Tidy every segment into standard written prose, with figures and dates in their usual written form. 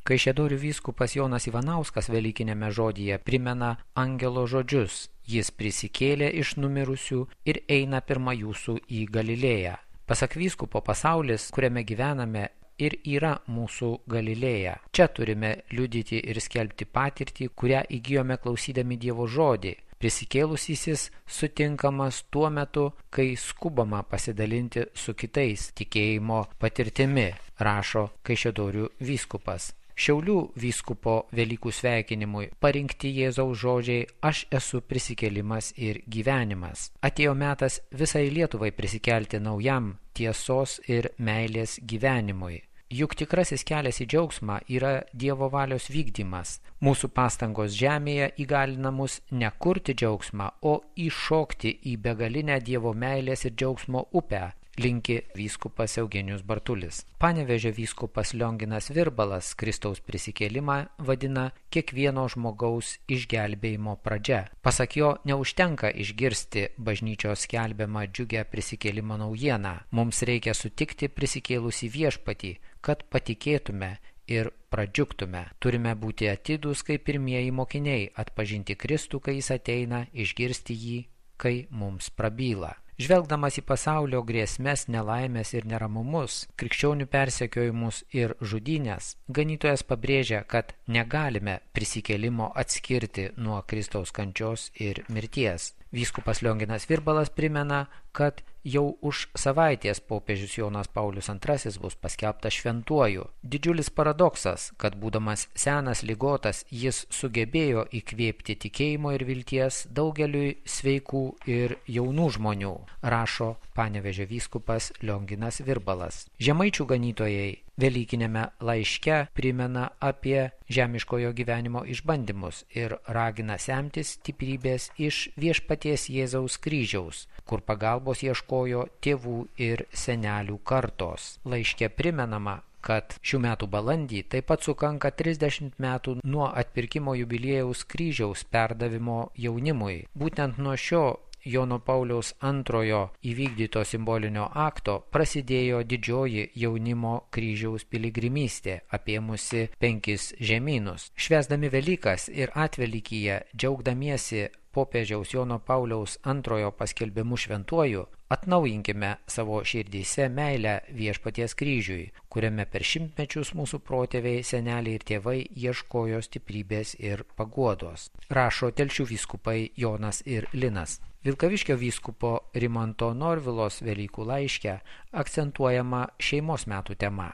Kaišiadorių vyskupas Jonas Ivanauskas velykinėme žodyje primena angelo žodžius: jis prisikėlė iš numirusių ir eina pirma jūsų į Galilėją. Pasak vyskupo, pasaulis, kuriame gyvename, ir yra mūsų Galilėja. Čia turime liudyti ir skelbti patirtį, kurią įgijome klausydami Dievo žodį. Prisikėlusysis sutinkamas tuo metu, kai skubama pasidalinti su kitais tikėjimo patirtimi, rašo Kaišiadorių vyskupas. Šiaulių vyskupo Velykų sveikinimui parinkti Jėzaus žodžiai: aš esu prisikėlimas ir gyvenimas. Atėjo metas visai Lietuvai prisikelti naujam tiesos ir meilės gyvenimui. Juk tikrasis kelias į džiaugsmą yra Dievo valios vykdymas. Mūsų pastangos žemėje įgalina mus ne kurti džiaugsmą, o įšokti į begalinę Dievo meilės ir džiaugsmo upę, linki vyskupas Eugenijus Bartulis. Panevėžio vyskupas Lionginas Virbalas Kristaus prisikėlimą vadina kiekvieno žmogaus išgelbėjimo pradžia. Pasak jo, neužtenka išgirsti bažnyčios skelbiamą džiugią prisikėlimo naujieną. Mums reikia sutikti prisikėlusį viešpatį, kad patikėtume ir pradžiugtume. Turime būti atidūs kaip pirmieji mokiniai, atpažinti Kristų, kai jis ateina, išgirsti jį, kai mums prabyla. Žvelgdamas į pasaulio grėsmes, nelaimės ir neramumus, krikščionių persekiojimus ir žudynės, ganytojas pabrėžia, kad negalime prisikėlimo atskirti nuo Kristaus kančios ir mirties. Vyskupas Lionginas Virbalas primena, kad jau už savaitės popiežius Jonas Paulius II bus paskelbtas šventuoju. Didžiulis paradoksas, kad būdamas senas ligotas, jis sugebėjo įkvėpti tikėjimo ir vilties daugeliui sveikų ir jaunų žmonių, rašo Panevėžio vyskupas Lionginas Virbalas. Žemaičių ganytojai Velykinėme laiške primena apie žemiškojo gyvenimo išbandymus ir ragina semtis stiprybės iš viešpaties Jėzaus kryžiaus, kur pagalbos ieškojo tėvų ir senelių kartos. Laiške primenama, kad šių metų balandį taip pat sukanka 30 metų nuo atpirkimo jubiliejaus kryžiaus perdavimo jaunimui. Būtent nuo šio Jono Pauliaus II įvykdyto simbolinio akto prasidėjo didžioji jaunimo kryžiaus piligrimystė, apėmusi 5 žemynus. Švęsdami Velykas ir Atvelykyje, džiaugdamiesi popiežiaus Jono Pauliaus II paskelbimu šventuoju, atnaujinkime savo širdyse meilę viešpaties kryžiui, kuriame per šimtmečius mūsų protėviai, seneliai ir tėvai ieškojo stiprybės ir paguodos, rašo Telšių vyskupai Jonas ir Linas. Vilkaviškio vyskupo Rimanto Norvilos Velykų laiške akcentuojama šeimos metų tema.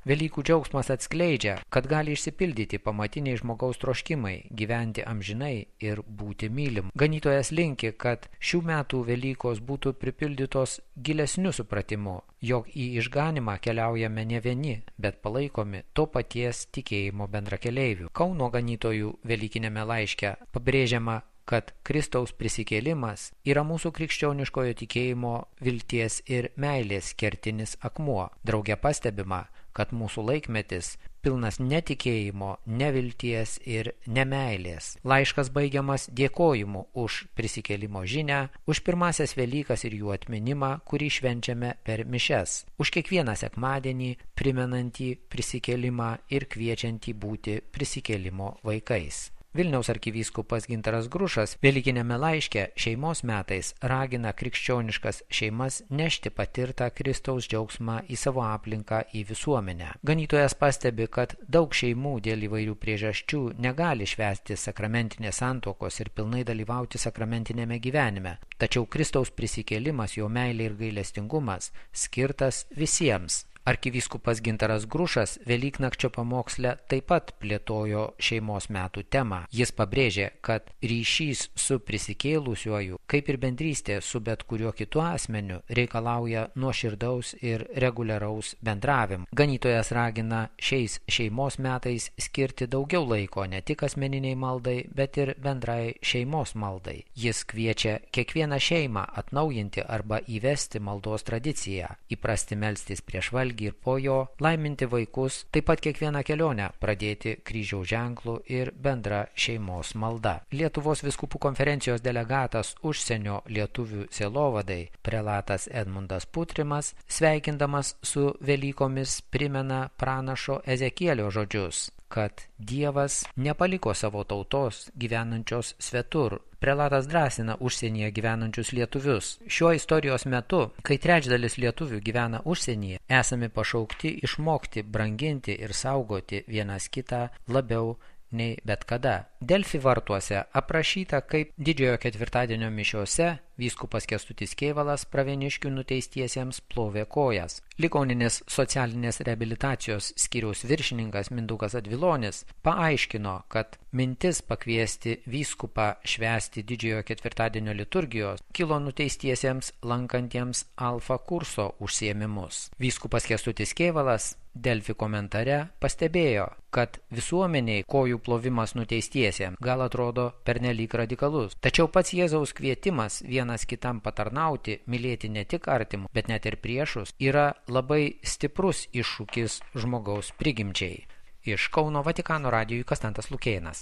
Velykų džiaugsmas atskleidžia, kad gali išsipildyti pamatiniai žmogaus troškimai, gyventi amžinai ir būti mylim. Ganytojas linki, kad šių metų Velykos būtų pripildytos gilesniu supratimu, jog į išganimą keliaujame ne vieni, bet palaikomi to paties tikėjimo bendrakeleivių. Kauno ganytojų Velykinėme laiške pabrėžiama, kad Kristaus prisikėlimas yra mūsų krikščioniškojo tikėjimo, vilties ir meilės kertinis akmuo. Drauge pastebima, kad mūsų laikmetis pilnas netikėjimo, nevilties ir nemeilės. Laiškas baigiamas dėkojimu už prisikėlimo žinią, už pirmąsias Velykas ir jų atminimą, kurį švenčiame per mišias, už kiekvieną sekmadienį primenantį prisikėlimą ir kviečiantį būti prisikėlimo vaikais. Vilniaus arkivyskupas Gintaras Grušas Velykinėme laiške šeimos metais ragina krikščioniškas šeimas nešti patirtą Kristaus džiaugsmą į savo aplinką, į visuomenę. Ganytojas pastebi, kad daug šeimų dėl įvairių priežasčių negali švęsti sakramentinės santuokos ir pilnai dalyvauti sakramentinėme gyvenime. Tačiau Kristaus prisikėlimas, jo meilė ir gailestingumas skirtas visiems. Arkivyskupas Gintaras Grušas Velyknakčio pamoksle taip pat plėtojo šeimos metų temą. Jis pabrėžė, kad ryšys su prisikėlusiuoju, kaip ir bendrystė su bet kuriuo kitu asmeniu, reikalauja nuoširdaus ir reguliaraus bendravimo. Ganytojas ragina šiais šeimos metais skirti daugiau laiko ne tik asmeniniai maldai, bet ir bendrai šeimos maldai. Jis kviečia kiekvieną šeimą atnaujinti arba įvesti maldos tradiciją, įprasti melstis prieš valgį ir po jo, laiminti vaikus, taip pat kiekvieną kelionę pradėti kryžiaus ženklų ir bendra šeimos malda. Lietuvos vyskupų konferencijos delegatas užsienio lietuvių sielovadai prelatas Edmundas Putrimas, sveikindamas su Velykomis, primena pranašo Ezekielio žodžius, kad Dievas nepaliko savo tautos gyvenančios svetur. Prelatas drąsina užsienyje gyvenančius lietuvius. Šiuo istorijos metu, kai trečdalis lietuvių gyvena užsienyje, esame pašaukti išmokti, branginti ir saugoti vienas kitą labiau nei bet kada. Delfi vartuose aprašyta, kaip didžiojo ketvirtadienio mišiose vyskupas Kęstutis Kėvalas Pravieniškių nuteistiesiems plovė kojas. Ligoninės socialinės reabilitacijos skyriaus viršininkas Mindaugas Advilonis paaiškino, kad mintis pakviesti vyskupą švęsti didžiojo ketvirtadienio liturgijos kilo nuteistiesiems lankantiems alfa kurso užsiėmimus. Vyskupas Kęstutis Kėvalas Delfi komentare pastebėjo, kad visuomeniai kojų plovimas nuteistiesiems gal atrodo pernelyg radikalus. Tačiau pats Jėzaus kvietimas vienas kitam patarnauti, mylėti ne tik artimų, bet net ir priešus, yra labai stiprus iššūkis žmogaus prigimčiai. Iš Kauno Vatikano radijui Konstantas Lukėnas.